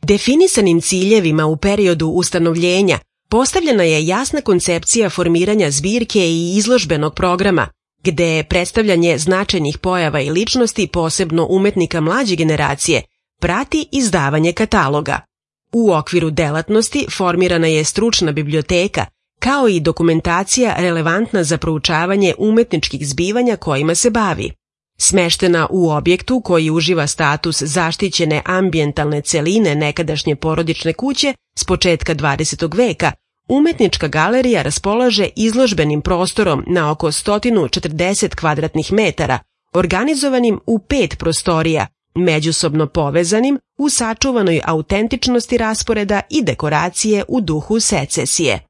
Definisanim ciljevima u periodu ustanovljenja postavljena je jasna koncepcija formiranja zbirke i izložbenog programa, gde predstavljanje značajnih pojava i ličnosti, posebno umetnika mlađe generacije, prati izdavanje kataloga. U okviru delatnosti formirana je stručna biblioteka, kao i dokumentacija relevantna za proučavanje umetničkih zbivanja kojima se bavi. Smeštena u objektu koji uživa status zaštićene ambijentalne celine nekadašnje porodične kuće s početka 20. veka, umetnička galerija raspolaže izložbenim prostorom na oko 140 kvadratnih metara, organizovanim u 5 prostorija, međusobno povezanim u sačuvanoj autentičnosti rasporeda i dekoracije u duhu secesije.